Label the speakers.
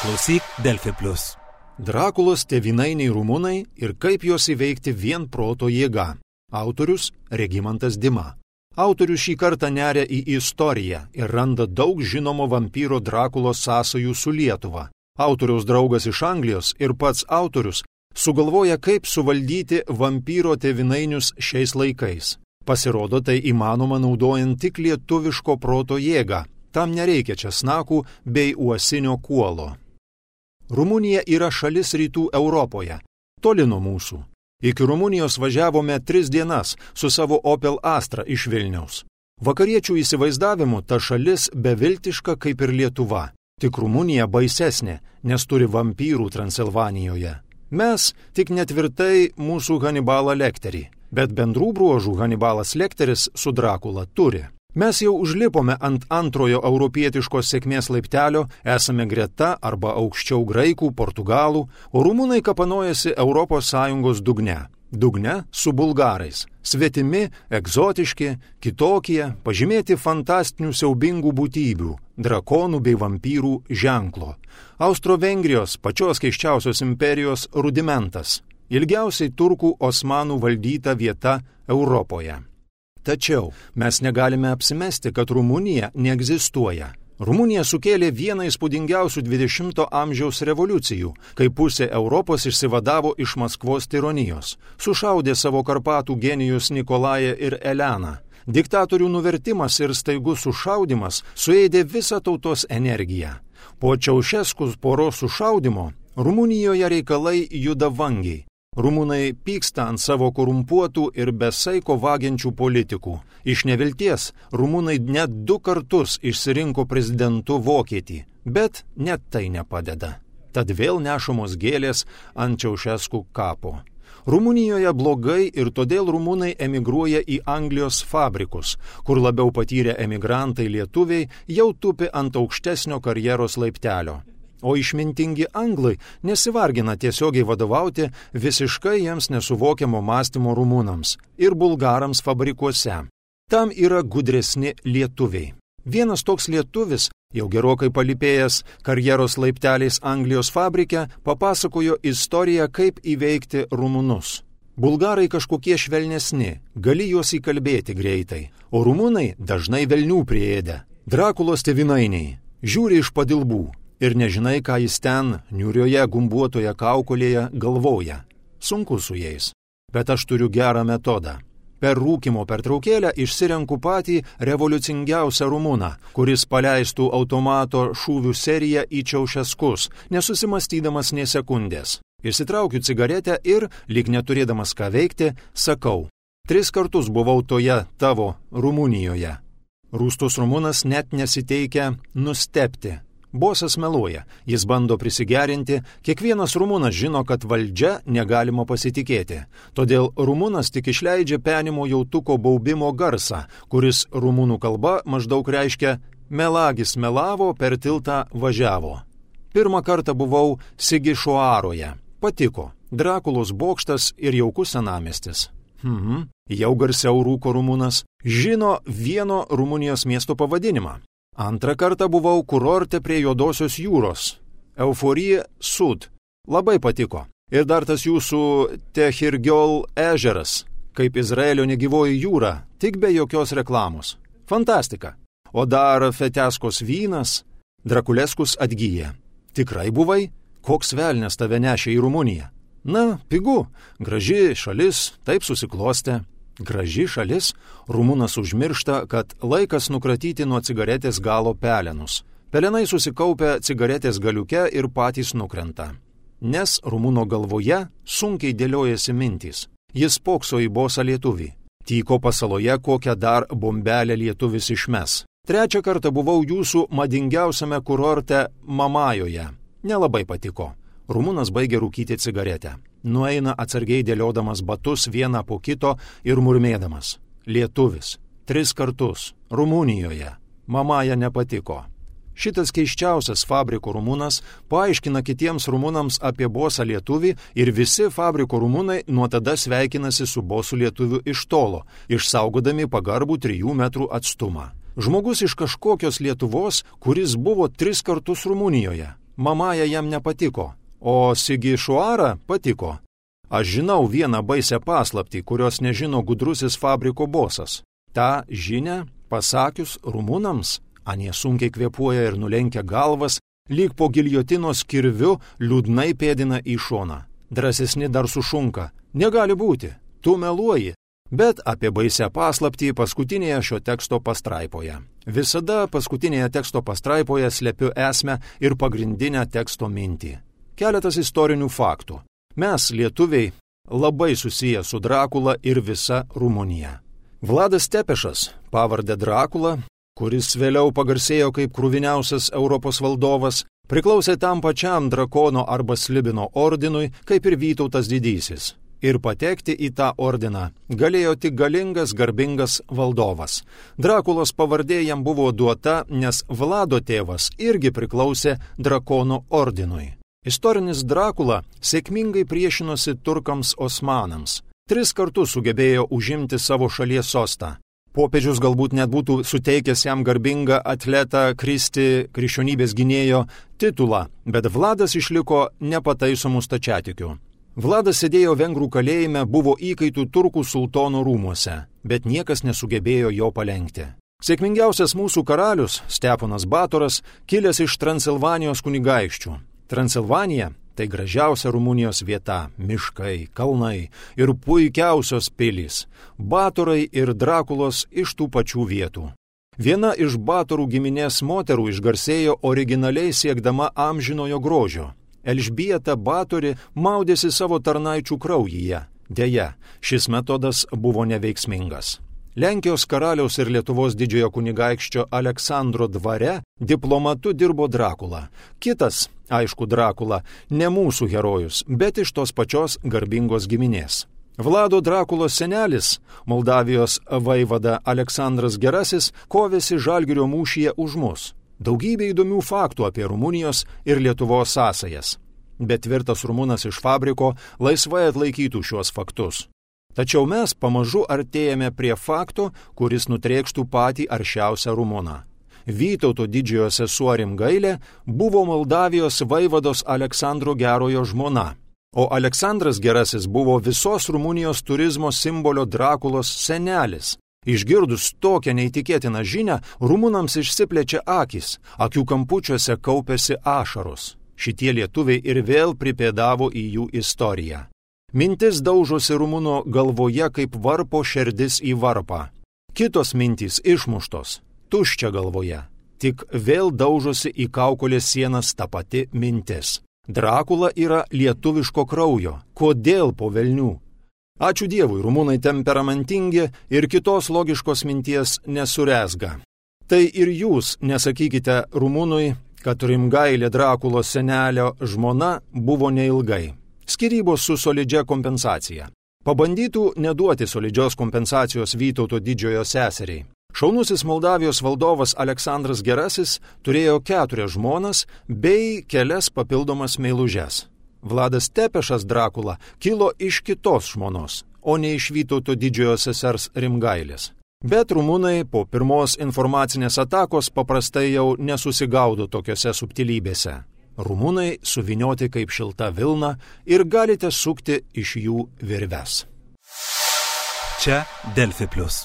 Speaker 1: Klausyk Delfi Plus.
Speaker 2: Drakulos tėvynainiai rumunai ir kaip juos įveikti vien proto jėga. Autorius Regimantas Dima. Autorius šį kartą neria į istoriją ir randa daug žinomo vampyro Drakulos sąsajų su Lietuva. Autoriaus draugas iš Anglijos ir pats autorius sugalvoja, kaip suvaldyti vampyro tėvynainius šiais laikais. Pasirodo, tai įmanoma naudojant tik lietuviško proto jėgą. Tam nereikia česnakų bei uosinio kuolo. Rumunija yra šalis rytų Europoje, toli nuo mūsų. Iki Rumunijos važiavome 3 dienas su savo Opel Astra iš Vilniaus. Vakariečių įsivaizdavimu ta šalis beviltiška kaip ir Lietuva. Tik Rumunija baisesnė, nes turi vampyrų Transilvanijoje. Mes tik netvirtai mūsų Hanibalą Lekterį, bet bendrų bruožų Hanibalas Lekteris su Drakula turi. Mes jau užlipome ant antrojo europietiškos sėkmės laiptelio, esame greta arba aukščiau graikų, portugalų, o rumunai kapanojasi ES dugne. Dugne su bulgarais. Svetimi, egzotiški, kitokie, pažymėti fantastinių siaubingų būtybių, drakonų bei vampyrų ženklo. Austro-Vengrijos pačios keisčiausios imperijos rudimentas. Ilgiausiai turkų osmanų valdyta vieta Europoje. Tačiau mes negalime apsimesti, kad Rumunija neegzistuoja. Rumunija sukėlė vieną įspūdingiausių 20 amžiaus revoliucijų, kai pusė Europos išsivadavo iš Maskvos tironijos. Sušaudė savo Karpatų genijus Nikolają ir Eleną. Diktatorių nuvertimas ir staigus sušaudimas suėdė visą tautos energiją. Po Čiaušeskų poros sušaudimo Rumunijoje reikalai juda vangiai. Rumunai pyksta ant savo korumpuotų ir besaiko vagiančių politikų. Iš nevilties rumunai net 2 kartus išsirinko prezidentu Vokietį, bet net tai nepadeda. Tad vėl nešamos gėlės ant Čiaušeskų kapo. Rumunijoje blogai ir todėl rumunai emigruoja į Anglijos fabrikus, kur labiau patyrę emigrantai lietuviai jau tupi ant aukštesnio karjeros laiptelio. O išmintingi anglai nesivargina tiesiogiai vadovauti visiškai jiems nesuvokiamo mąstymo rumunams ir bulgarams fabrikuose. Tam yra gudresni lietuviai. Vienas toks lietuvis, jau gerokai palypėjęs karjeros laipteliais Anglijos fabrike, papasakojo istoriją, kaip įveikti rumunus. Bulgarai kažkokie švelnesni, gali juos įkalbėti greitai, o rumunai dažnai velnių priėdę. Drakulos tėvynainiai žiūri iš padilbų. Ir nežinai, ką jis ten, niūrioje gumbuotoje kaukolėje, galvoja. Sunku su jais. Bet aš turiu gerą metodą. Per rūkymo pertraukėlę išsirenku patį revoliucingiausią rumuną, kuris paleistų automato šūvių seriją į Čiaušeskus, nesusimastydamas nė sekundės. Išsitraukiu cigaretę ir, lyg neturėdamas ką veikti, sakau: 3 kartus buvau toje tavo Rumunijoje. Rūstus rumunas net nesiteikia nustebti. Bosas meluoja, jis bando prisigerinti, kiekvienas rumunas žino, kad valdžia negalima pasitikėti. Todėl rumunas tik išleidžia penimo jautuko baubimo garsą, kuris rumunų kalba maždaug reiškia melagis melavo, per tiltą važiavo. Pirmą kartą buvau Sigišoaroje. Patiko. Drakulos bokštas ir jaukus senamiestis. Jau garsiau rūko rumunas. Žino vieno Rumunijos miesto pavadinimą. Antrą kartą buvau kurorte prie Juodosios jūros. Euforija Sud. Labai patiko. Ir dar tas jūsų Tehirgiol ežeras, kaip Izraelio negyvoji jūra, tik be jokios reklamos. Fantastika. O dar Feteskos vynas. Drakuleskus atgyja. Tikrai buvai? Koks velnias tave nešė į Rumuniją? Na, pigu. Graži šalis, taip susiklostė. Graži šalis, rumunas užmiršta, kad laikas nukratyti nuo cigaretės galo pelenus. Pelenai susikaupia cigaretės galiuke ir patys nukrenta. Nes rumuno galvoje sunkiai dėliojasi mintys. Jis pokso į bosą lietuvį. Tyko pasaloje, kokią dar bombelę lietuvis išmes. 3 kartą buvau jūsų madingiausiame kurorte Mamajoje. Nelabai patiko. Rumunas baigė rūkyti cigaretę. Nueina atsargiai dėliodamas batus vieną po kito ir murmėdamas. Lietuvis. 3 kartus. Rumunijoje. Mamaja nepatiko. Šitas keiščiausias fabriko rumunas paaiškina kitiems rumunams apie bosą lietuvį ir visi fabriko rumunai nuo tada sveikinasi su bosu lietuviu iš tolo, išsaugodami pagarbų 3 metrų atstumą. Žmogus iš kažkokios Lietuvos, kuris buvo 3 kartus Rumunijoje. Mamaja jam nepatiko, o Sigišuara patiko. Aš žinau vieną baisę paslaptį, kurios nežino gudrusis fabriko bosas. Ta žinia, pasakius rumunams, anie sunkiai kvėpuoja ir nulenkia galvas, lyg po giljotinos kirviu liūdnai pėdina į šoną. Drąsesni dar sušunka. Negali būti, tu meluoji. Bet apie baisę paslaptį paskutinėje šio teksto pastraipoje. Visada paskutinėje teksto pastraipoje slepiu esmę ir pagrindinę teksto mintį. Keletas istorinių faktų. Mes, lietuviai, labai susiję su Drakula ir visa Rumunija. Vladas Tepešas, pavardę Drakula, kuris vėliau pagarsėjo kaip kruviniausias Europos valdovas, priklausė tam pačiam drakono arba slibino ordinui, kaip ir Vytautas didysis. Ir patekti į tą ordiną galėjo tik galingas, garbingas valdovas. Drakulos pavardė jam buvo duota, nes Vlado tėvas irgi priklausė drakono ordinui. Istorinis Drakula sėkmingai priešinosi turkams osmanams. 3 kartus sugebėjo užimti savo šalies sostą. Popiežius galbūt net būtų suteikęs jam garbingą atletą Kristi krikščionybės gynėjo titulą, bet Vladas išliko nepataisomų stačiatikių. Vladas sėdėjo vengrų kalėjime, buvo įkaitų turkų sultono rūmuose, bet niekas nesugebėjo jo palenkti. Sėkmingiausias mūsų karalius, Steponas Batoras, kilęs iš Transilvanijos kunigaikščių. Transilvanija tai gražiausia Rumunijos vieta, miškai, kalnai ir puikiausios pilys. Batorai ir Drakulos iš tų pačių vietų. Viena iš Batorų giminės moterų išgarsėjo originaliai siekdama amžinojo grožio. Elžbieta Batori maudėsi savo tarnaičių kraujyje. Deja, šis metodas buvo neveiksmingas. Lenkijos karaliaus ir Lietuvos didžiojo kunigaikščio Aleksandro dvare diplomatu dirbo Drakula. Kitas, aišku, Drakula, ne mūsų herojus, bet iš tos pačios garbingos giminės. Vlado Drakulos senelis, Moldavijos vaivada Aleksandras Gerasis, kovėsi Žalgirio mūšyje už mus. Daugybė įdomių faktų apie Rumunijos ir Lietuvos sąsajas. Bet tvirtas rumunas iš fabriko laisvai atlaikytų šiuos faktus. Tačiau mes pamažu artėjame prie fakto, kuris nutrėkštų patį aršiausią rumuną. Vytauto didžiojo sesuo Rimgailė buvo Moldavijos vaivados Aleksandro Gerojo žmona, o Aleksandras Gerasis buvo visos Rumunijos turizmo simbolio Drakulos senelis. Išgirdus tokią neįtikėtiną žinią, rumunams išsiplečia akys, akių kampučiuose kaupėsi ašaros. Šitie lietuviai ir vėl pripėdavo į jų istoriją. Mintis daužosi rumuno galvoje kaip varpo šerdis į varpą. Kitos mintys išmuštos, tuščia galvoje. Tik vėl daužosi į kaukolės sienas ta pati mintis. Drakula yra lietuviško kraujo. Kodėl po velnių? Ačiū Dievui, rumunai temperamentingi ir kitos logiškos minties nesurezga. Tai ir jūs nesakykite rumunui, kad Rimgailė Drakulos senelio žmona buvo neilgai. Skyrybos su solidžia kompensacija. Pabandytų neduoti solidžios kompensacijos Vytauto didžiojo seseriai. Šaunusis Moldavijos valdovas Aleksandras Gerasis turėjo 4 žmonas bei kelias papildomas meilužes. Vladas Tepešas Drakula kilo iš kitos žmonos, o ne iš Vytauto didžiojo sesers Rimgailės. Bet rumunai po pirmos informacinės atakos paprastai jau nesusigaudo tokiose subtilybėse. Rumunai suvinioti kaip šilta vilna ir galite sukti iš jų virves.
Speaker 1: Čia Delfi Plius.